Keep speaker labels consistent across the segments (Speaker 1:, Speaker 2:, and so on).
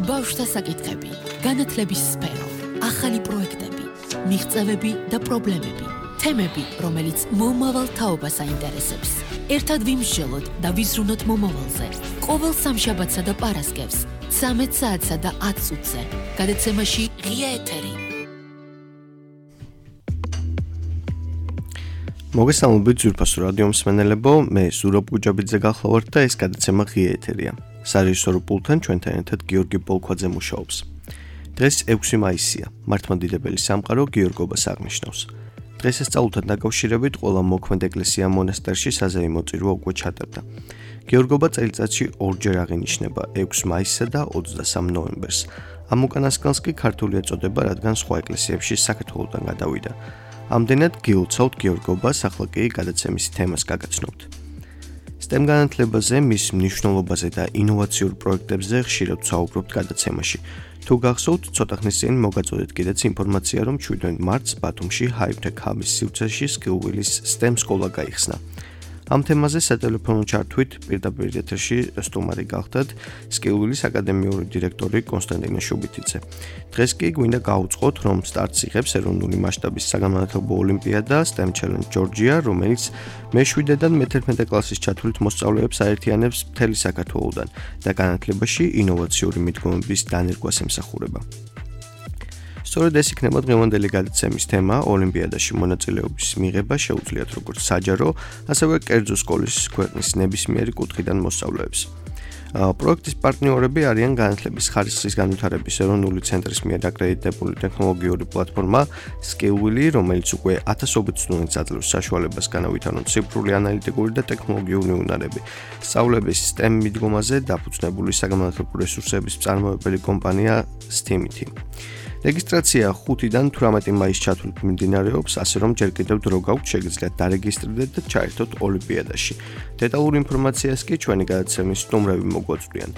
Speaker 1: ბავშვთა საკითხები, განათლების სფერო, ახალი პროექტები, მიღწევები და პრობლემები, თემები, რომელიც მომავალ თაობას აინტერესებს. ერთად ვიმსჯელოთ და ვიზრუნოთ მომავალზე. ყოველ სამშაბათსა და პარასკევს, 13 საათსა და 10 წუთზე. გადაცემაში ღია ეთერი.
Speaker 2: მოგესალმებით ძვირფასო რადიო მსმენელებო, მე ზურაბ გუჯაბიძე გახლავართ და ეს გადაცემა ღია ეთერია. სარეჟისორო პულტთან ჩვენთან ერთად გიორგი პოლქვაძე მუშაობს. დღეს 6 მაისია, მართლმადიდებელი სამყარო გიორგობას აღნიშნავს. დღესასწაულთან დაკავშირებით ყველა მოქმედ ეკლესია მონასტერში საზეიმო წირვა უკვე ჩატარდა. გიორგობა წელიწადში ორჯერ აღინიშნება 6 მაისსა და 23 ნოემბერს. ამ უკანასკნელს კი ქართული ეწოდება, რადგან სხვა ეკლესიებში საქართველოდან გადავიდა. ამდენად გილოცავთ გიორგობას, ახლა კი გადაცემის თემას გაგაცნობთ. STEM განათლებაზე, მის მნიშვნელობაზე და ინოვაციურ პროექტებზე ხშირად ვსაუბრობთ გადაცემაში. თუ გახსოვთ, ცოტა ხნის წინ მოგაწოდეთ კიდეც ინფორმაცია, რომ 7 მარტს ბათუმში High-Tech Hub-ის სივრცეში სკიუვილის STEM სკოლა გაიხსნა. ამ თემაზე სატელეფონო ჩართვით პირდაპირ ეთერში სტუმარი გახდათ სკიუვილის აკადემიური დირექტორი კონსტანტინე შუბითიძე. დღეს კი გვინდა გავუწყოთ, რომ სტარტს იღებს ეროვნული მასშტაბის საგანმანათლებლო ოლიმპიადა STEM Challenge Georgia, რომელიც მე-7-დან მე-11 კლასის ჩათვლით მოსწავლეებს აერთიანებს მთელი საქართველოდან და განათლებაში ინოვაციური მიდგომების დანერგვას ემსახურება. სწორედ ეს იქნება დღევანდელი გადაცემის თემა. ოლიმპიადაში მონაწილეობის მიღება შეუძლიათ როგორც საჯარო, ასევე კერძო სკოლის ქვეყნის ნებისმიერი კუთხიდან მოსწავლეებს. პროექტის პარტნიორები არიან განათლების ხარისხის განვითარების ეროვნული ცენტრის მიერ აკრედიტებული ტექნოლოგიური პლატფორმა SKILL, რომელიც უკვე ათასობით სტუდენტს აძლევს საშუალებას განავითარონ ციფრული ანალიტიკური და ტექნოლოგიური უნარები. სწავლების STEM მიდგომაზე დაფუძნებული საგანმანათლებლო რესურსების მწარმოებელი კომპანია STEAMIT. რეგისტრაცია 5-დან 18 მაისის ჩათვლით მიმდინარეობს, ასე რომ ჯერ კიდევ დრო გაქვთ, შეგიძლიათ დარეგისტრირდეთ და ჩაერთოთ ოლიმპიადაში. დეტალურ ინფორმაციას კი ჩვენი გადაცემის სტუმრები მოგვაწვდიან.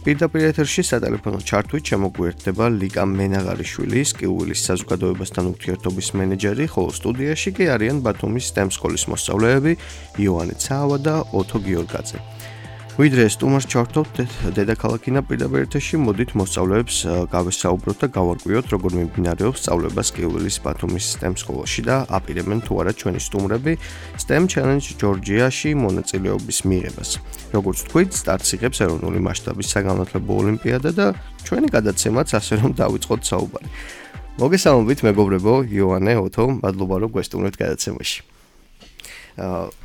Speaker 2: პირდაპირ ეთერში სატელეფონო ჩართვით შემოგვიერთდება ლიკა მენაღარიშვილი, სკიუვილის საზოგადოებასთან ურთიერთობის მენეჯერი, ხოლო სტუდიაში კი არიან ბათუმის STEM სკოლის მოსწავლეები იოანე ცაავა და ოთო გიორგაძე. ვიდრე სტუმარს ჩავერთვით დედაქალაქინა პირდაპირ ეთერში, მოდით მოსწავლეებს გავესაუბროთ და გავარკვიოთ, როგორ მიმდინარეობს სწავლება სკიუვილის ბათუმის STEM სკოლაში და აპირებენ თუ არა ჩვენი სტუმრები STEM Challenge Georgia-ში მონაწილეობის მიღებას. როგორც თქვით, სტარტს იღებს ეროვნული მასშტაბის საგანმანათლებლო ოლიმპიადა და ჩვენი გადაცემაც ასე რომ დავიწყოთ საუბარი. მოგესალმებით მეგობრებო, იოანე, ოთო, მადლობა რომ გვესტუმრეთ გადაცემაში.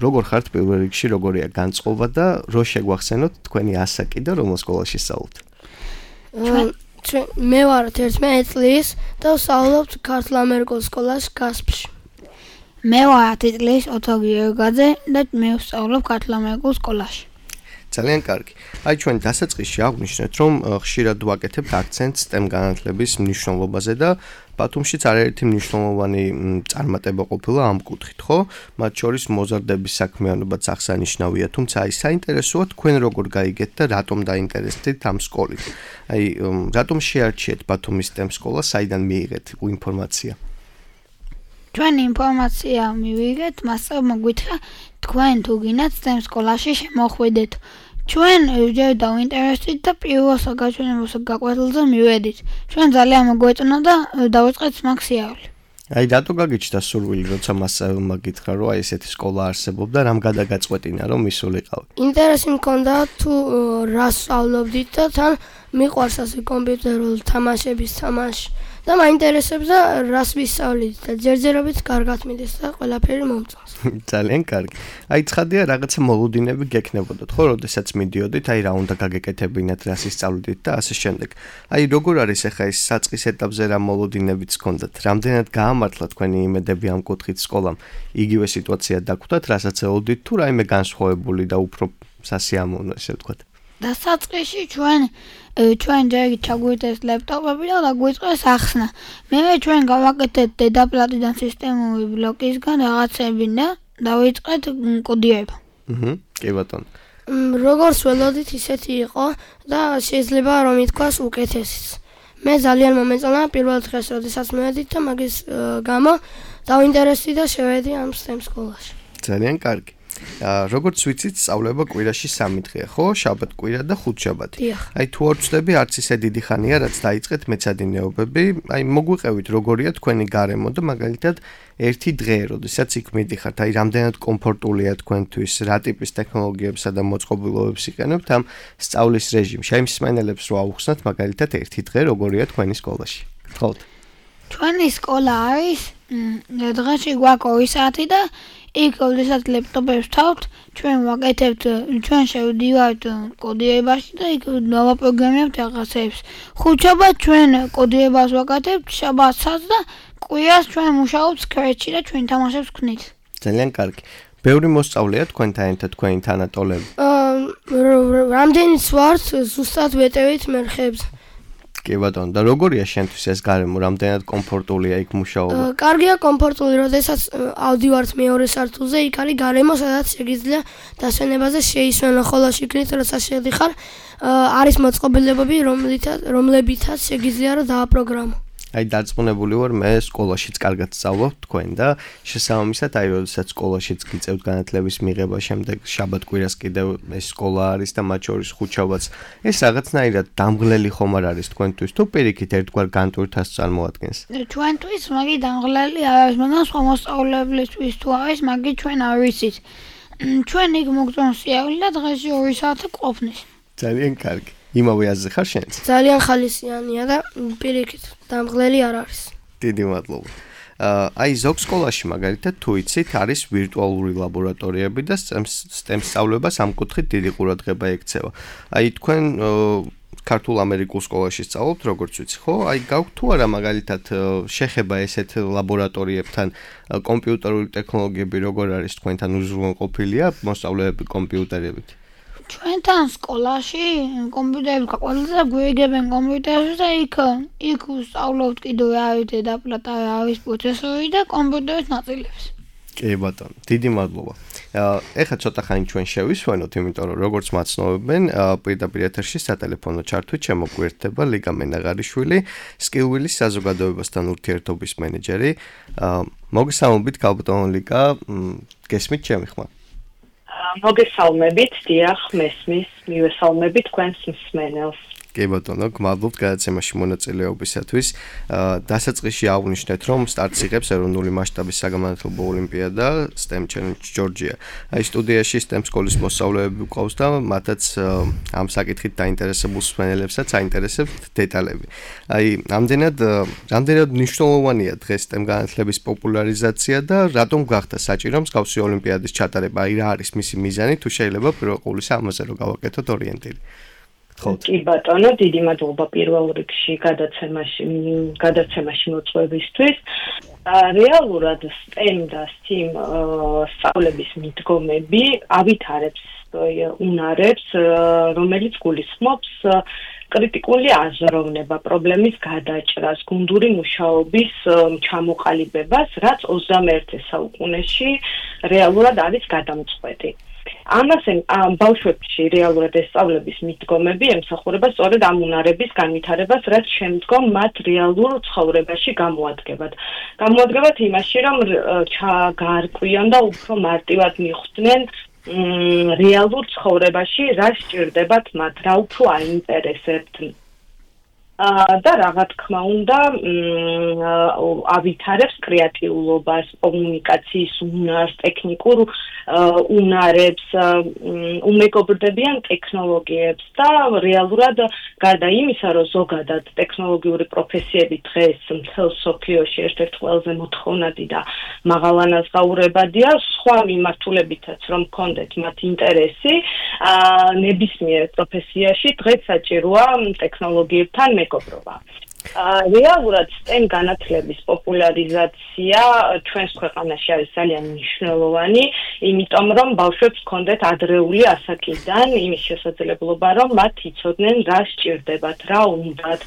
Speaker 2: როგორ ხართ პირველ რიგში, როგორია განწყობა და რო შეგვახსენოთ თქვენი ასაკი და რომელ სკოლაში სწავლობთ?
Speaker 3: მე ვარ 11 წლის და ვსწავლობ ქართულ-ამერიკულ სკოლაში გასპში.
Speaker 4: მე ვარ 10 წლის ოთო გიორგაძე და მე ვსწავლობ ქართულ-ამერიკულ სკოლაში.
Speaker 2: ძალიან კარგი. აი ჩვენ დასაწყისში აღვნიშნეთ, რომ ხშირად ვაკეთებთ აქცენტს STEM განათლების მნიშვნელობაზე და ბათუმშიც არაერთი მნიშვნელოვანი წარმატება ყოფილა ამ კუთხით, ხო? მათ შორის მოზარდების საქმიანობაც აღსანიშნავია, თუმცა აი საინტერესოა თქვენ როგორ გაიგეთ და რატომ დაინტერესდით ამ სკოლით. აი რატომ შეარჩიეთ ბათუმის STEM სკოლა, საიდან მიიღეთ ინფორმაცია?
Speaker 4: ჩვენ ინფორმაცია მივიღეთ, მასწავლებელმა გითხრა, თქვენ თუ გინდათ STEM სკოლაში შემოხვიდეთ. ჩვენ ჯერ დავინტერესდით და პირველ საგაჩვენებელ გაკვეთილზე მივედით. ჩვენ ძალიან მოგვეწონა და დავიწყეთ მაგ სიარული.
Speaker 2: აი რატო გაგიჩნდა სურვილი, როცა მასწავლებელმა გითხრა, რომ აი ესეთი სკოლა არსებობდა, რამ გადაგაწყვეტინა, რომ მისულიყავი?
Speaker 3: ინტერესი მქონდა თუ რა სწავლობდით და თან მიყვარს ასე კომპიუტერულ თამაშების თამაში. და მაინტერესებს და რას ვისწავლით და ჯერჯერობით კარგად მიდის და ყველაფერი მომწონს.
Speaker 2: ძალიან კარგი. აი ცხადია რაღაცა მოლოდინები გექნებოდათ, ხო, როდესაც მიდიოდით, აი რა უნდა გაგეკეთებინათ, რას ისწავლით და ასე შემდეგ. აი როგორ არის ახლა ეს საწყის ეტაპზე რა მოლოდინებიც გქონდათ? რამდენად გაამართლა თქვენი იმედები ამ კუთხით სკოლამ? იგივე სიტუაცია დაგვხვდათ, რასაც ელოდით თუ რაიმე განსხვავებული და უფრო სასიამოვნო, ესე ვთქვათ?
Speaker 4: დასაწყისში ჩვენ ჯერ ჩაგვიდეს ლეპტოპები და დაგვიწყეს ახსნა. მერე ჩვენ გავაკეთეთ დედაპლატიდან სისტემური ბლოკისგან რაღაცები და დავიწყეთ კოდირება.
Speaker 2: კი ბატონო.
Speaker 3: როგორც ველოდით, ისეთი იყო და შეიძლება რომ ითქვას უკეთესიც. მე ძალიან მომეწონა პირველ დღეს, როდესაც მივედით და მაგის გამო დავინტერესდი და შევედი ამ STEM სკოლაში.
Speaker 2: ძალიან კარგი. როგორც ვიცით, სწავლება კვირაში 3 დღეა, ხო? შაბათ-კვირა და ხუთშაბათი. აი თუ არ ვწდები, არც ისე დიდი ხანია, რაც დაიწყეთ მეცადინეობები. აი მოგვიყევით, როგორია თქვენი გარემო და მაგალითად ერთი დღე, როდესაც იქ მიდიხართ, აი რამდენად კომფორტულია თქვენთვის, რა ტიპის ტექნოლოგიებსა და მოწყობილობებს იყენებთ ამ სწავლის რეჟიმში. აი მსმენელებს რო ავხსნათ, მაგალითად ერთი დღე, როგორია თქვენი სკოლაში. გთხოვთ.
Speaker 4: ჩვენი სკოლა არის დღეში გვაქვს 2 საათი და იქ როდესაც ლეპტოპებს თავთ, ჩვენ ვაკეთებთ, ჩვენ შევდივართ კოდირებაში და იქ დავაპროგრამებთ რაღაცებს. ხუთშაბათ ჩვენ კოდირებას ვაკეთებთ, შაბათსაც და კვირას ჩვენ მუშაობთ Scratch-ში და ჩვენ თამაშებს ვქნით.
Speaker 2: ძალიან კარგი. ბევრი მოსწავლეა თქვენთან ერთად თქვენი თანატოლები?
Speaker 3: რამდენიც ვართ, ზუსტად ვეტევით მერხებს.
Speaker 2: კი ბატონო, და როგორია შენთვის ეს გარემო, რამდენად კომფორტულია იქ მუშაობა?
Speaker 3: კარგია, კომფორტული, როდესაც ავდივართ მეორე სართულზე, იქ არის გარემო, სადაც შეგიძლია დასვენებაზე შეისვენო, ხოლო შიგნით როცა შედიხარ, არის მოწყობილებები, რომლებითაც შეგიძლია რომ დააპროგრამო.
Speaker 2: აი დარწმუნებული ვარ, მე სკოლაშიც კარგად სწავლობ თქვენ და შესაბამისად, აი როდესაც სკოლაშიც გიწევთ განათლების მიღება, შემდეგ შაბათ-კვირას კიდევ ეს სკოლა არის და მათ შორის ხუთშაბათს. ეს რაღაცნაირად დამღლელი ხომ არ არის თქვენთვის თუ პირიქით ერთგვარ განტვირთას წარმოადგენს?
Speaker 4: ჩვენთვის მაგი დამღლელი არ არის, მაგრამ სხვა მოსწავლებლისთვის თუ არის, მაგი ჩვენ არ ვიცით. ჩვენ იქ მოგწონს სიაული და დღეში 2 საათი ყოფნის.
Speaker 2: ძალიან კარგი. იმავე აზრი ხარ შენც?
Speaker 3: ძალიან ხალისიანია და პირიქით დამღლელი არ არის.
Speaker 2: დიდი მადლობა. აი ზოგ სკოლაში მაგალითად თუ იცით, არის ვირტუალური ლაბორატორიები და STEM სწავლებას ამ კუთხით დიდი ყურადღება ექცევა. აი თქვენ ქართულ ამერიკულ სკოლაში სწავლობთ, როგორც ვიცი, ხო? აი გაქვთ თუ არა მაგალითად შეხება ესეთ ლაბორატორიებთან, კომპიუტერული ტექნოლოგიები როგორ არის თქვენთან უზრუნველყოფილია მოსწავლეები კომპიუტერებით?
Speaker 4: ჩვენთან სკოლაში კომპიუტერები გაყოლდა და გვიგებენ კომპიუტერებს და იქ ვსწავლობთ კიდევ რა არის დედაპლატა, რა არის პროცესორი და კომპიუტერის ნაწილებს.
Speaker 2: კი ბატონო, დიდი მადლობა. ეხლა ცოტა ხანი ჩვენ შევისვენოთ, იმიტომ რომ როგორც მაცნობებენ, პირდაპირ ეთერში სატელეფონო ჩართვით შემოგვიერთდება ლიგა მენაღარიშვილი, Skillwheel-ის საზოგადოებასთან ურთიერთობის მენეჯერი. მოგესალმებით, გალბატონო ლიგა, გესმით ჩემი ხმა?
Speaker 5: მოგესალმებით, დიახ, მესმის, მივესალმებით თქვენს მსმენელს.
Speaker 2: კი ბატონო, გმადლობთ გადაცემაში მონაწილეობისათვის. დასაწყისში აღნიშნეთ, რომ სტარტს იღებს ეროვნული მასშტაბის საგანმანათლებლო ოლიმპიადა STEM Challenge Georgia. აი სტუდიაში STEM სკოლის მოსწავლეები გვყავს და მათაც ამ საკითხით დაინტერესებულ მსმენელებსაც აინტერესებთ დეტალები. აი რამდენად მნიშვნელოვანია დღეს STEM განათლების პოპულარიზაცია და რატომ გახდა საჭირო მსგავსი ოლიმპიადის ჩატარება? აი რა არის მისი მიზანი, თუ შეიძლება პირველ ყოვლისა ამაზე რომ გავაკეთოთ ორიენტირი.
Speaker 5: კი ბატონო, დიდი მადლობა პირველ რიგში გადაცემაში მოწვევისთვის. რეალურად STEM და STEAM სწავლების მიდგომები ავითარებს უნარებს, რომელიც გულისხმობს კრიტიკული აზროვნება, პრობლემის გადაჭრას, გუნდური მუშაობის ჩამოყალიბებას, რაც 21 საუკუნეში რეალურად არის გადამწყვეტი. ამასე ბავშვებში რეალურად ეს სწავლების მიდგომები ემსახურება სწორედ ამ უნარების განვითარებას, რაც შემდგომ მათ რეალურ ცხოვრებაში გამოადგებათ. გამოადგებათ იმაში, რომ გაარკვიონ და უფრო მარტივად მიხვდნენ რეალურ ცხოვრებაში რა სჭირდებათ მათ, რა უფრო აინტერესებთ. და რა თქმა უნდა ავითარებს კრეატიულობას, კომუნიკაციის უნარს, ტექნიკურ უნარებს, უმეგობრდებიან ტექნოლოგიებს და რეალურად გარდა იმისა, რომ ზოგადად ტექნოლოგიური პროფესიები დღეს მთელ მსოფლიოში ერთ-ერთი ყველაზე მოთხოვნადი და მაღალანაზღაურებადია, სხვა მიმართულებითაც რომ გქონდეთ მათ ინტერესი, ნებისმიერ პროფესიაში დღეს საჭიროა ტექნოლოგიებთან მეგობრობა. რეალურად STEM განათლების პოპულარიზაცია ჩვენს ქვეყანაში არის ძალიან მნიშვნელოვანი, იმიტომ რომ ბავშვებს ჰქონდეთ ადრეული ასაკიდან იმის შესაძლებლობა, რომ მათ იცოდნენ რა სჭირდებათ, რა უნდათ,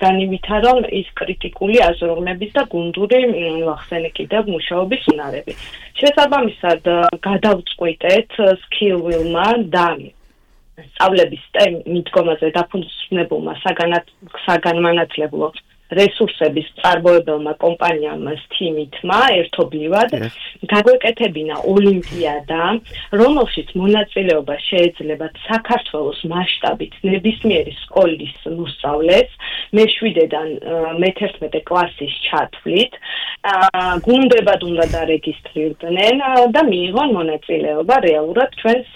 Speaker 5: განივითარონ ის კრიტიკული აზროვნების და გუნდური ახსენე კიდევ მუშაობის უნარები. შესაბამისად, გადავწყვიტეთ Skillwheel-მა და სწავლების STEM მიდგომაზე დაფუძნებულმა საგანმანათლებლო რესურსების წარმოებელმა კომპანიამ Steam-მა ერთობლივად გაგვეკეთებინა ოლიმპიადა, რომელშიც მონაწილეობა შეიძლება საქართველოს მასშტაბით ნებისმიერი სკოლის მოსწავლეს მე-7-დან მე-11 კლასის ჩათვლით, გუნდებად უნდა დარეგისტრირდნენ და მიიღონ მონაწილეობა რეალურად ჩვენს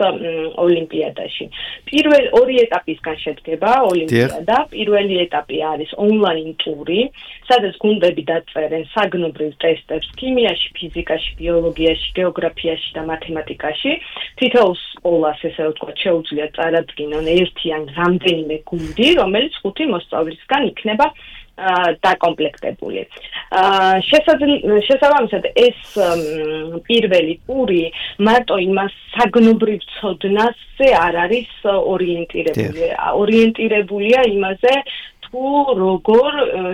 Speaker 5: ოლიმპიადაში. პირველ ორი ეტაპისგან შედგება ოლიმპიადა. პირველი ეტაპი არის ონლაინ ტური, სადაც გუნდები დაწერენ საგნობრივ ტესტებს ქიმიაში, ფიზიკაში, ბიოლოგიაში, გეოგრაფიაში და მათემატიკაში. თითოეულ სკოლას, ესე ვთქვათ, შეუძლია წარადგინონ ერთი ან რამდენიმე გუნდი, რომელიც 5 მოსწავლისგან იქნება დაკომპლექტებული. შესაბამისად ეს პირველი ტური მარტო იმას საგნობრივ ცოდნაზე არ არის ორიენტირებული. ორიენტირებულია იმაზე, თუ როგორ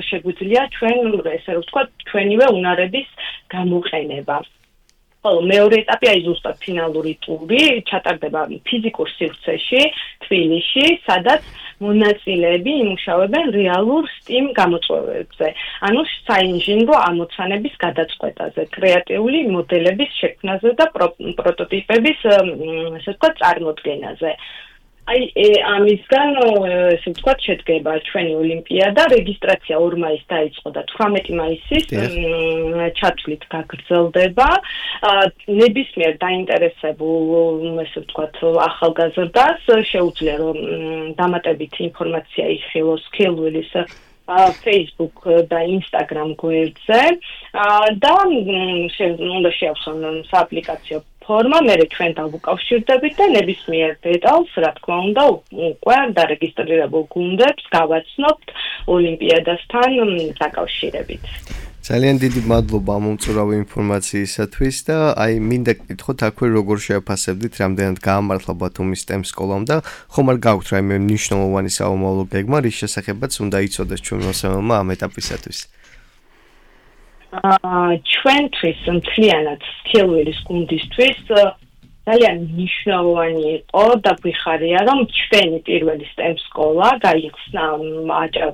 Speaker 5: შეგვიძლია ჩვენ, ესე ვთქვათ, ჩვენივე უნარების გამოყენება. ხოლო მეორე ეტაპი არის ზუსტად ფინალური ტური, ჩატარდება ფიზიკურ სივრცეში, თბილისში, სადაც მონაწილეები იმუშავებენ რეალურ STEAM გამოწვევებზე, ანუ საინჟინრო ამოცანების გადაწყვეტაზე, კრეატიული მოდელების შექმნაზე და პროტოტიპების, ასე ვთქვათ, წარმოდგენაზე. ამისგან, ესე ვთქვათ, შედგება ჩვენი ოლიმპიადა, რეგისტრაცია 2 მაისს დაიწყო და 18 მაისის ჩათვლით გაგრძელდება. ნებისმიერ დაინტერესებულ, ესე ვთქვათ, ახალგაზრდას შეუძლია რომ დამატებითი ინფორმაცია იხილოს ქილვილის Facebook და Instagram გვერდზე და უნდა შეავსონ სააპლიკაციო ფორმა, მე ჩვენ დავუკავშირდებით და ნებისმიერ დეტალს, რა თქმა უნდა, უკვე დარეგისტრირებულ გუნდებს გავაცნობთ ოლიმპიადასთან დაკავშირებით.
Speaker 2: ძალიან დიდი მადლობა ამ უმწურავი ინფორმაციისათვის და მინდა გითხოთ აქვე როგორ შეაფასებდით, რამდენად გაამართლა ბათუმის STEM სკოლამ და ხომ არ გაქვთ რაიმე მნიშვნელოვანი საომავლო გეგმა, რის შესახებაც უნდა იცოდეს ჩვენ მოსამალმა ამ ეტაპისათვის.
Speaker 5: ჩვენთვის მთლიანად სქილვილის გუნდისთვის ძალიან მნიშვნელოვანი იყო და გვიხარია რომ ჩვენი პირველი STEM სკოლა გაიხსნა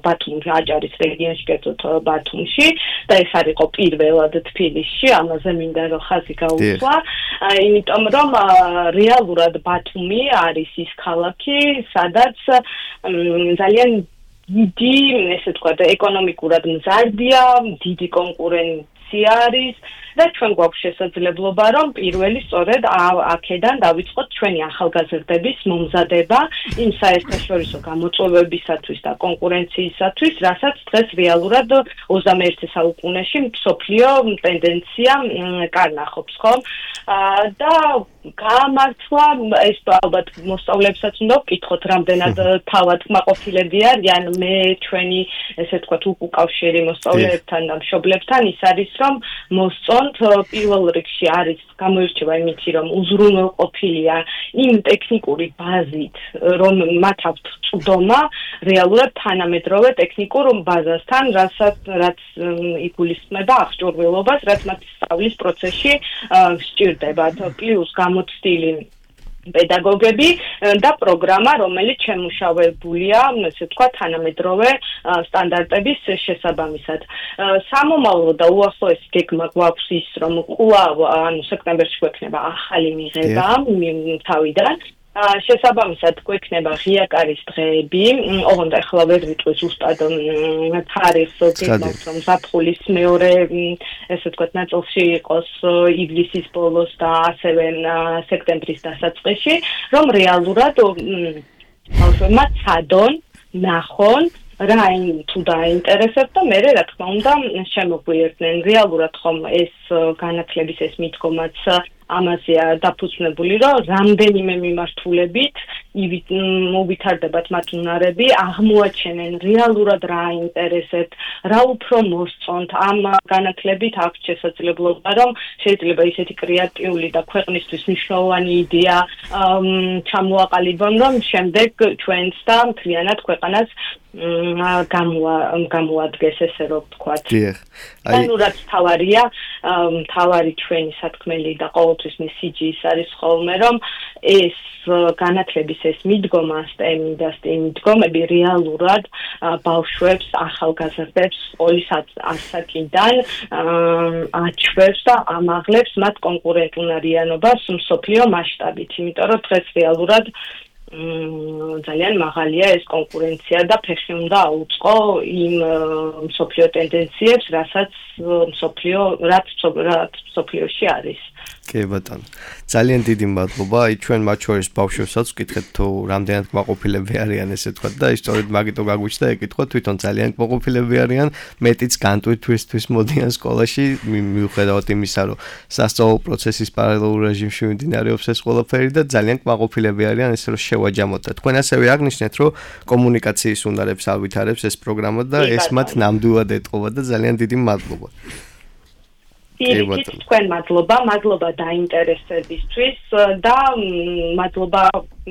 Speaker 5: ბათუმში, აჭარის რეგიონში, კერძოდ ბათუმში და ეს არ იყო პირველად თბილისში, ამაზე მინდა რომ ხაზი გაუსვა, იმიტომ რომ რეალურად ბათუმი არის ის ქალაქი, სადაც ძალიან დიდი, ესე ვთქვათ, ეკონომიკურად მზარდია, დიდი კონკურენცია არის და ჩვენ გვაქვს შესაძლებლობა რომ პირველი სწორედ აქედან დავიწყოთ ჩვენი ახალგაზრდების მომზადება იმ საერთაშორისო გამოწვევებისათვის და კონკურენციისათვის, რასაც დღეს რეალურად 21 საუკუნეში მსოფლიო ტენდენცია კარნახობს, ხო? და გაამართლა ეს ალბათ მოსწავლეებსაც უნდა ვკითხოთ, რამდენად თავად კმაყოფილები არიან, მე ჩვენი, ესე ვთქვათ, უკავშირი მოსწავლეებთან და მშობლებთან ის არის რომ მოსწონ პირველ რიგში არის გამოირჩევა იმითი, რომ უზრუნველყოფილია იმ ტექნიკური ბაზით, რომ მათ აქვთ წვდომა რეალურად თანამედროვე ტექნიკურ ბაზასთან, რაც იგულისხმება აღჭურვილობას, რაც მათ სწავლის პროცესში სჭირდებათ. პლუს გამოცდილი პედაგოგები და პროგრამა, რომელიც შემუშავებულია, ესე ვთქვათ, თანამედროვე სტანდარტების შესაბამისად. სამომავლო და უახლოესი გეგმა გვაქვს ის, რომ კვლავ, ანუ სექტემბერში გვექნება ახალი მიღება თავიდან. შესაბამისად გვექნება ღია კარის დღეები, ოღონდ ახლა ვერ ვიტყვი ზუსტად თარიღს, გეგმავს რომ ზაფხულის მეორე, ესე ვთქვათ, ნაწილში იყოს ივლისის ბოლოს და ასევე სექტემბრის დასაწყისში, რომ რეალურად ბავშვებმა ცადონ, ნახონ რა თუ დაინტერესებთ და მე რა თქმა უნდა შემოგვიერთდნენ. რეალურად ხომ ეს განათლების ეს მიდგომაც ამაზეა დაფუძნებული, რომ რამდენიმე მიმართულებით მოვითარდებათ მათ უნარები, აღმოაჩენენ რეალურად რა აინტერესებთ, რა უფრო მოსწონთ. ამ განათლებით აქვს შესაძლებლობა, რომ შეიძლება ისეთი კრეატიული და ქვეყნისთვის მნიშვნელოვანი იდეა ჩამოაყალიბონ, რომ შემდეგ ჩვენს და მთლიანად ქვეყანას გამოადგეს, ესე რომ ვთქვათ. ანუ რაც თავარია, თავარი ჩვენი სათქმელი და ყოველთვის მესიჯი ის არის ხოლმე, რომ ეს განათლების ეს მიდგომა, STEM და STEM მიდგომები რეალურად ბავშვებს, ახალგაზრდებს სკოლის ასაკიდან აჩვევს და ამაღლებს მათ კონკურენტუნარიანობას მსოფლიო მასშტაბით, იმიტომ რომ დღეს რეალურად ძალიან მაღალია ეს კონკურენცია და ფეხი უნდა აუწყო იმ მსოფლიო ტენდენციებს, რაც მსოფლიოში არის.
Speaker 2: კი ბატონო. ძალიან დიდი მადლობა. აი ჩვენ მათ შორის ბავშვებსაც ვკითხეთ თუ რამდენად კმაყოფილები არიან ესე თქვა და ისტორიად მაგიტო გაგვიჩნდა ეკითხვა თვითონ ძალიან კმაყოფილები არიან, მეტიც განტვირთვისთვის მოდიან სკოლაში, მიუხედავად იმისა, რომ სასწავლო პროცესის პარალელურ რეჟიმში მიმდინარეობს ეს ყველაფერი და ძალიან კმაყოფილები არიან ესე რომ შევაჯამოთ და თქვენ ასევე აღნიშნეთ, რომ კომუნიკაციის უნარებს ავითარებს ეს პროგრამა და ეს მათ ნამდვილად ეტყობა და ძალიან დიდი მადლობა.
Speaker 5: თქვენ მადლობა დაინტერესებისთვის და მადლობა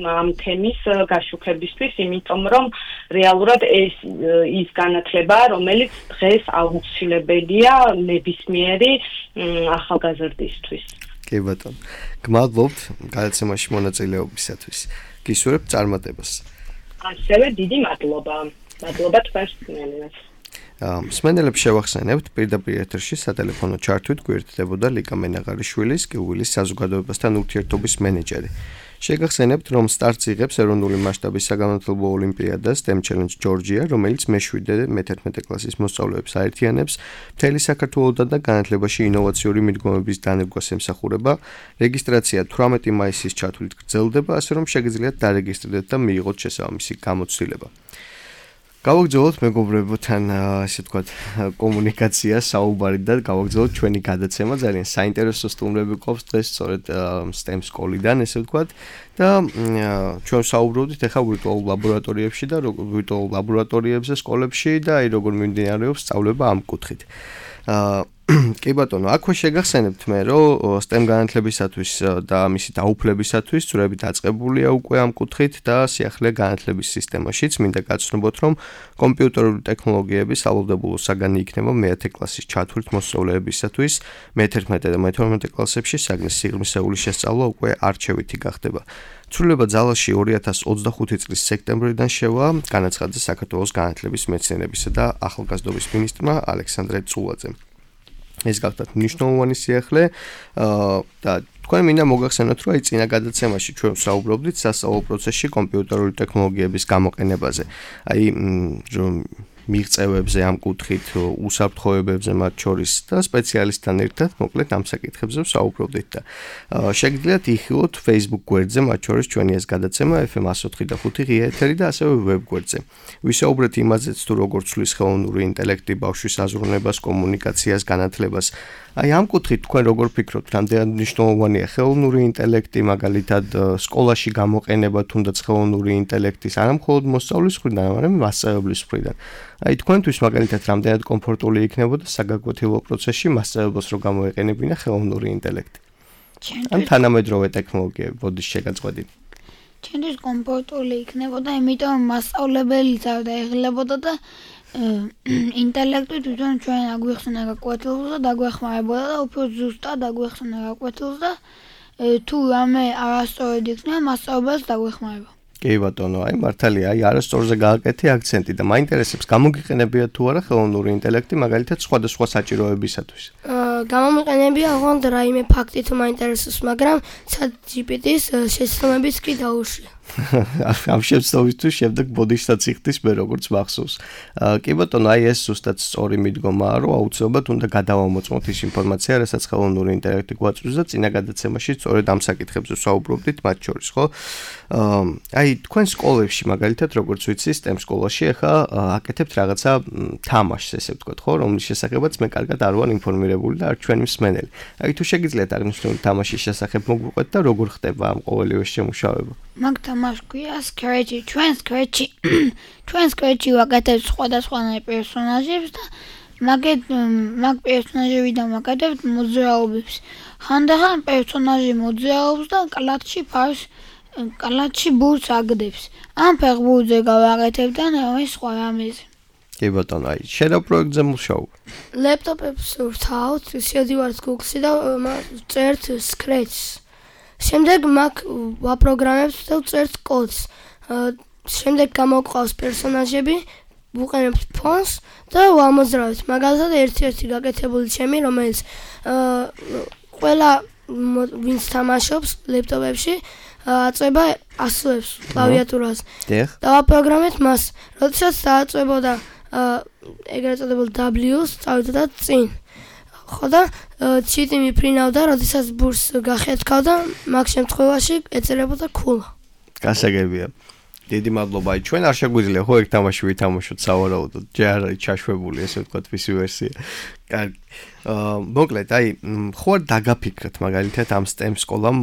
Speaker 5: ამ თემის გაშუქებისთვის, იმიტომ რომ რეალურად ის განათლება, რომელიც დღეს აუცილებელია ნებისმიერი ახალგაზრდისთვის.
Speaker 2: კი ბატონო. გმადლობთ გადაცემაში მონაწილეობისათვის. გისურვებთ წარმატებას.
Speaker 5: ასევე დიდი მადლობა. მადლობა თქვენს მსმენელებს.
Speaker 2: მსმენელებს შევახსენებთ პირდაპირ ეთერში სატელეფონო ჩართვით გვერდდებოდა ლიკა მენაღარიშვილის გეულის საზოგადოებასთან ურთიერთობის მენეჯერი. შეგახსენებთ, რომ სტარტს იღებს ეროვნული მასშტაბის საგანმანათლებლო ოლიმპიადა STEM Challenge Georgia, რომელიც მე-7-მე-11 კლასის მოსწავლეებს აერთიანებს მთელი საქართველოდან და განათლებაში ინოვაციური მიდგომების დანერგვას ემსახურება. რეგისტრაცია 18 მაისის ჩათვლით გრძელდება, ასე რომ შეგიძლიათ დარეგისტრირდეთ და მიიღოთ შესაბამისი გამოცდილება. გავაგრძელოთ მეგობრებთან ასე ვთქვათ კომუნიკაცია, საუბარი და გავაგრძელოთ ჩვენი გადაცემა. ძალიან საინტერესო სტუმრები გვყავს დღეს სწორედ STEM სკოლიდან, ესე ვთქვათ და ჩვენ საუბრობდით ახლა ვირტუალურ ლაბორატორიებში და ვირტუალურ ლაბორატორიებზე სკოლებში და აი როგორ მიმდინარეობს სწავლება ამ კუთხით. კი ბატონო, აქვე შეგახსენებთ მე, რომ STEM განათლებისათვის და მისი დაუფლებისათვის წვრები დაწყებულია უკვე ამ კუთხით და სიახლე განათლების სისტემაშიც მინდა გაცნობოთ, რომ კომპიუტერული ტექნოლოგიების ალოდებულო საგანი იქნება მე-10 კლასის ჩათვლით მოსწავლეებისათვის, მე-11 და მე-12 კლასებში საგნის სიღრმისეული შესწავლა უკვე არჩევითი გახდება. ცვლილება ძალაში 2025 წლის სექტემბრიდან შევა, განაცხადა საქართველოს განათლების მეცნიერებისა და ახალგაზრდობის მინისტრმა ალექსანდრე წულაძემ. ეს გახლავთ მნიშვნელოვანი სიახლე და თქვენ მინდა მოგახსენოთ, რომ აი წინა გადაცემაში ჩვენ ვსაუბრობდით სასწავლო პროცესში კომპიუტერული ტექნოლოგიების გამოყენებაზე. აი რომ მიღწევებზე ამ კუთხით, უსაფრთხოებებზე მათ შორის და სპეციალისტთან ერთად მოკლედ ამ საკითხებზე ვსაუბრობდით და შეგიძლიათ იხილოთ Facebook გვერდზე, მათ შორის ჩვენი ეს გადაცემა FM 104.5 ღია ეთერი და ასევე ვებ გვერდზე. ვისაუბრეთ იმაზეც, თუ როგორ ცვლის ხელოვნური ინტელექტი ბავშვის აზროვნებას, კომუნიკაციას, განათლებას. აი ამ კუთხით თქვენ როგორ ფიქრობთ, რამდენად მნიშვნელოვანია ხელოვნური ინტელექტი, მაგალითად სკოლაში გამოყენება თუნდაც ხელოვნური ინტელექტის არა მხოლოდ მოსწავლის მხრიდან, არამედ მასწავლებლის მხრიდან. აი თქვენთვის მაგალითად რამდენად კომფორტული იქნებოდა საგაკვეთილო პროცესში მასწავლებლს რო გამოეყენებინა ხელოვნური ინტელექტი. ან თანამედროვე ტექნოლოგიები, ბოდის შეგაწყვეტილი.
Speaker 4: ჩვენთვის კომფორტული იქნებოდა, იმიტომ მასწავლებელი დაეღლებოდა და ინტელექტი თვითონ ჩვენ აგვიხსნა გაკვეთილს და დაგვეხმარებოდა და უფრო ზუსტად აგვიხსნა გაკვეთილს და თუ რამე არასწორად იქნება, მასწავლებელს დაგვეხმარება.
Speaker 2: კი ბატონო, აი მართალია, აი არასწორზე გააკეთე აქცენტი და მაინტერესებს გამოგიყენებია თუ არა ხელოვნური ინტელექტი მაგალითად სხვადასხვა საჭიროებისათვის.
Speaker 3: გამომიყენებია ოღონდ რაიმე ფაქტი თუ მაინტერესებს, მაგრამ ChatGPT-ის შეცდომებიც კი დაუშვია.
Speaker 2: ამ შეცდომისთვის შემდეგ ბოდიშსაც იხდის მე როგორც მახსოვს. კი ბატონო, აი ეს ზუსტად სწორი მიდგომაა, რომ აუცილებლად უნდა გადავამოწმოთ ის ინფორმაცია, რასაც ხელოვნური ინტელექტი გვაწვდის და წინა გადაცემაში სწორედ ამ საკითხებზე ვსაუბრობდით მათ შორის, ხო? აი თქვენ სკოლებში მაგალითად როგორც ვიცი, STEM სკოლაში ახლა აკეთებთ რაღაცა თამაშს, ესე ვთქვათ, ხო, რომლის შესახებაც მე კარგად არ ვარ ინფორმირებული და არ ჩვენი მსმენელი. აი თუ შეგიძლიათ აღნიშნული თამაშის შესახებ მოგვიყვეთ და როგორ ხდება ამ ყოველივე შემუშავება?
Speaker 4: მაგ თამაშს ქვია Scratch-ი. ჩვენ Scratch-ი ვაკეთებთ სხვადასხვანაირ პერსონაჟებს და მაგ პერსონაჟებიდან ვაკეთებთ მოძრაობებს. ხანდახან პერსონაჟი მოძრაობს და კალათში ბურთს აგდებს. ამ ფეხბურთზე გავაკეთებთ და სხვა რამეზე.
Speaker 2: კი ბატონო, აი, შენ რა პროექტზე მუშაობ?
Speaker 3: ლეპტოპებს ვთავთ, შედივართ Google-ში და წერთ Scratch-ს. შემდეგ მაგ ვაპროგრამებთ და ვწერთ კოდს. შემდეგ გამოვყავს პერსონაჟები, ვუყენებთ ფონს და ვამოძრავებთ. მაგალითად, ერთ-ერთი გაკეთებული ჩემი, რომელიც ყველა ვინც თამაშობს ლეპტოპებში, აწება ასოებს კლავიატურას. და ვაპროგრამებთ მას, როდესაც დააწებოდა ეგრეთ წოდებულ W-ს, წავიდოდა წინ. ხო და ჩიტი მიფრინავდა, როდესაც ბურს გახეთქავდა, მაგ შემთხვევაში ეწერებოდა ქულა.
Speaker 2: გასაგებია. დიდი მადლობა. აი ჩვენ არ შეგვიძლია ხო ერთ თამაში ვითამაშოთ სავარაუდოდ. ჯერ არ არის ჩაშვებული ესე ვთქვათ PC ვერსია. კარგი. მოკლედ, აი ხო არ დაგაფიქრეთ მაგალითად ამ STEM სკოლამ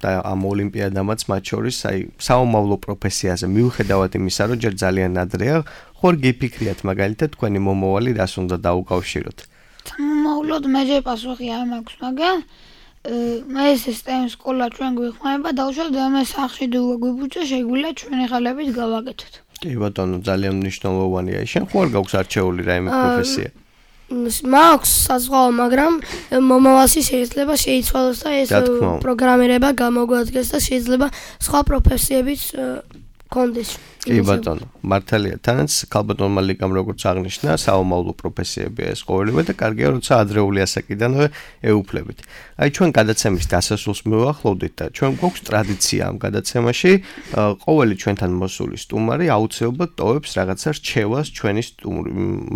Speaker 2: და ამ ოლიმპიადამაც მათ შორის, აი საომავლო პროფესიაზე მიუხედავად იმისა, რომ ჯერ ძალიან ადრეა, ხო არ გიფიქრიათ მაგალითად თქვენი მომავალი რას უნდა დაუკავშიროთ?
Speaker 4: მომავლოდ მე ჯერ პასუხი არ მაქვს, მაგრამ მე ეს STEM სკოლა ჩვენ გვიხმარება და უშუალოდ მე სახში გვიბუჯა შეგვიძლია ჩვენი ხალებით გავაკეთოთ.
Speaker 2: კი ბატონო, ძალიან მნიშვნელოვანია. შენ ხო არ გაქვს არჩეული რაიმე პროფესია?
Speaker 3: მაქვს საზღვაო, მაგრამ მომავალში შეიძლება შეიცვალოს და ეს პროგრამირება გამოგვადგეს და შეიძლება სხვა პროფესიებიც კონდეს.
Speaker 2: კი ბატონო, მართალია, თანაც ქალბატონმა ლიკამ როგორც აღნიშნა, საომავლო პროფესიებია ეს ყოველივე და კარგია, როცა ადრეული ასაკიდანვე ეუფლებით. აი ჩვენ გადაცემის დასასრულს მივახლოვდით და ჩვენ გვაქვს ტრადიცია ამ გადაცემაში, ყოველი ჩვენთან მოსული სტუმარი აუცილებლად ტოვებს რაღაცა რჩევას ჩვენი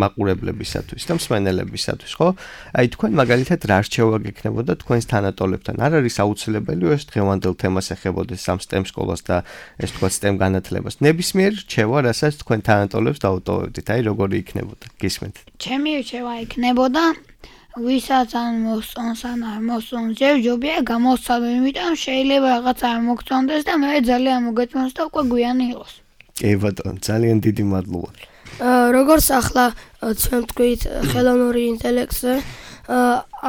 Speaker 2: მაყურებლებისათვის და მსმენელებისათვის, ხო? აი თქვენ მაგალითად რა რჩევა გექნებოდა თქვენს თანატოლებთან? არ არის აუცილებელი ეს დღევანდელ თემას ეხებოდეს ამ STEM სკოლას და ეს თქვა STEM განათლებას. ნებისმიერ რჩევა, რასაც თქვენ თანატოლებს დაუტოვებდით, აი როგორი იქნებოდა? გისმენთ.
Speaker 4: ჩემი რჩევა იქნებოდა ვისაც ან მოსწონს ან არ მოსწონს, ჯერჯობია გამოსცადო, იმიტომ შეიძლება რაღაც არ მოგწონდეს და მე ძალიან მოგეწონს და უკვე გვიანი იყოს.
Speaker 2: კი ბატონო, ძალიან დიდი მადლობა.
Speaker 3: როგორც ახლა ჩვენ თქვით ხელოვნური ინტელექტზე,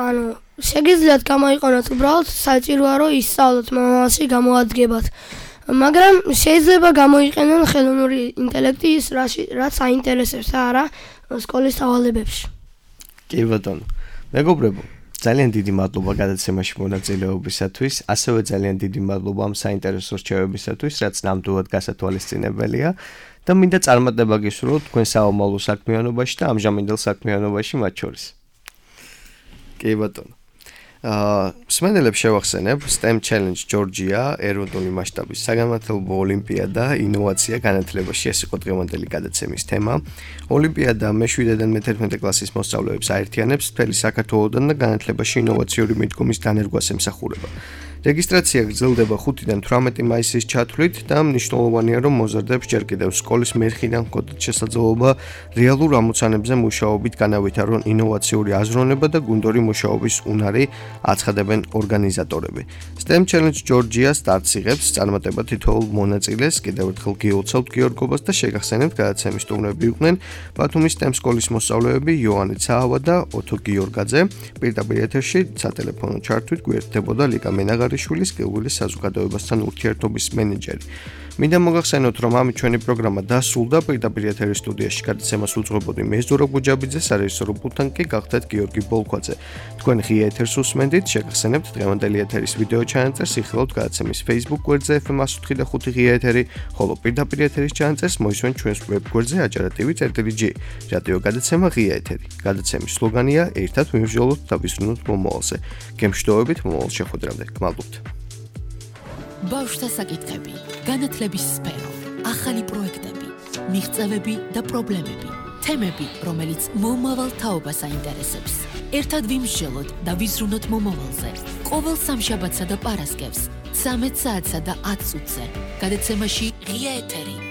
Speaker 3: ანუ შეგიძლიათ გამოიყენოთ უბრალოდ საჭიროა რომ ისწავლოთ მომავალში გამოადგებათ. მაგრამ შეიძლება გამოიყენონ ხელოვნური ინტელექტი ის რაც აინტერესებს და არა სკოლის დავალებებში.
Speaker 2: კი ბატონო. მეგობრებო, ძალიან დიდი მადლობა გადაცემაში მონაწილეობისათვის, ასევე ძალიან დიდი მადლობა ამ საინტერესო რჩევებისათვის, რაც ნამდვილად გასათვალისწინებელია და მინდა წარმატება გისურვოთ თქვენ საომავლო საქმიანობაში და ამჟამინდელ საქმიანობაში მათ შორის. კი ბატონო. მსმენელებს შევახსენებ STEM Challenge Georgia ეროვნული მასშტაბის საგანმანათლებლო ოლიმპიადა ინოვაცია განათლებაში ეს იყო დღევანდელი გადაცემის თემა. ოლიმპიადა მე-7-დან მე-11 კლასის მოსწავლეებს აერთიანებს მთელი საქართველოდან და განათლებაში ინოვაციური მიდგომის დანერგვას ემსახურება. რეგისტრაცია გრძელდება 5-დან 18 მაისის ჩათვლით და მნიშვნელოვანია რომ მოზარდებს ჯერ კიდევ სკოლის მერხიდან ჰქონდეთ შესაძლებლობა რეალურ ამოცანებზე მუშაობით განავითარონ ინოვაციური აზროვნება და გუნდური მუშაობის უნარი აცხადებენ ორგანიზატორები. STEM Challenge Georgia სტარტს იღებს წარმატება თითოეულ მონაწილეს, კიდევ ერთხელ გიოცავთ გიორგობას და შეგახსენებთ გადაცემის სტუმრები იყვნენ ბათუმის STEM სკოლის მოსწავლეები იოანე ცაავა და ოთო გიორგაძე. პირდაპირ ეთერში სატელეფონო ჩართვით გვერდებოდა ლიკა მენაღარიშვილის გეულის საზოგადოებასთან ურთიერთობის მენეჯერი. მინდა მოგახსენოთ, რომ ამით ჩვენი პროგრამა დასრულდა. პირდაპირ ეთერის სტუდიაში გადაცემას უძღვებოდი მე ზურაბ გუჯაბიძე, სარეჟისორო პულტთან კი გახდათ გიორგი ბოლქვაძე. თქვენ ღია ეთერს უსმენდით, შეგახსენებთ დღევანდელი ეთერის ვიდეო ჩანაწერს, იხილავთ გადაცემის Facebook გვერდზე FM105.5 ღია ეთერი, ხოლო პირდაპირ ეთერის ჩანაწერს მოისმენთ ჩვენს ვებ გვერდზე ajarativi.g. რადიო გადაცემა ღია ეთერი. გადაცემის სლოგანია ერთად მივსჯელოთ და ვისვრნოთ მომავალზე. გემშვიდობებით მომავალ შეხვედრამდე. გმადლობთ.
Speaker 1: ბავშვთა საკითხები, განათლების სფერო, ახალი პროექტები, მიღწევები და პრობლემები, თემები, რომელიც მომავალ თაობას აინტერესებს. ერთად ვიმსჯელოთ და ვიზრუნოთ მომავალზე. ყოველ სამშაბათსა და პარასკევს, 13 საათსა და 10 წუთზე. გადაცემაში ღია ეთერი.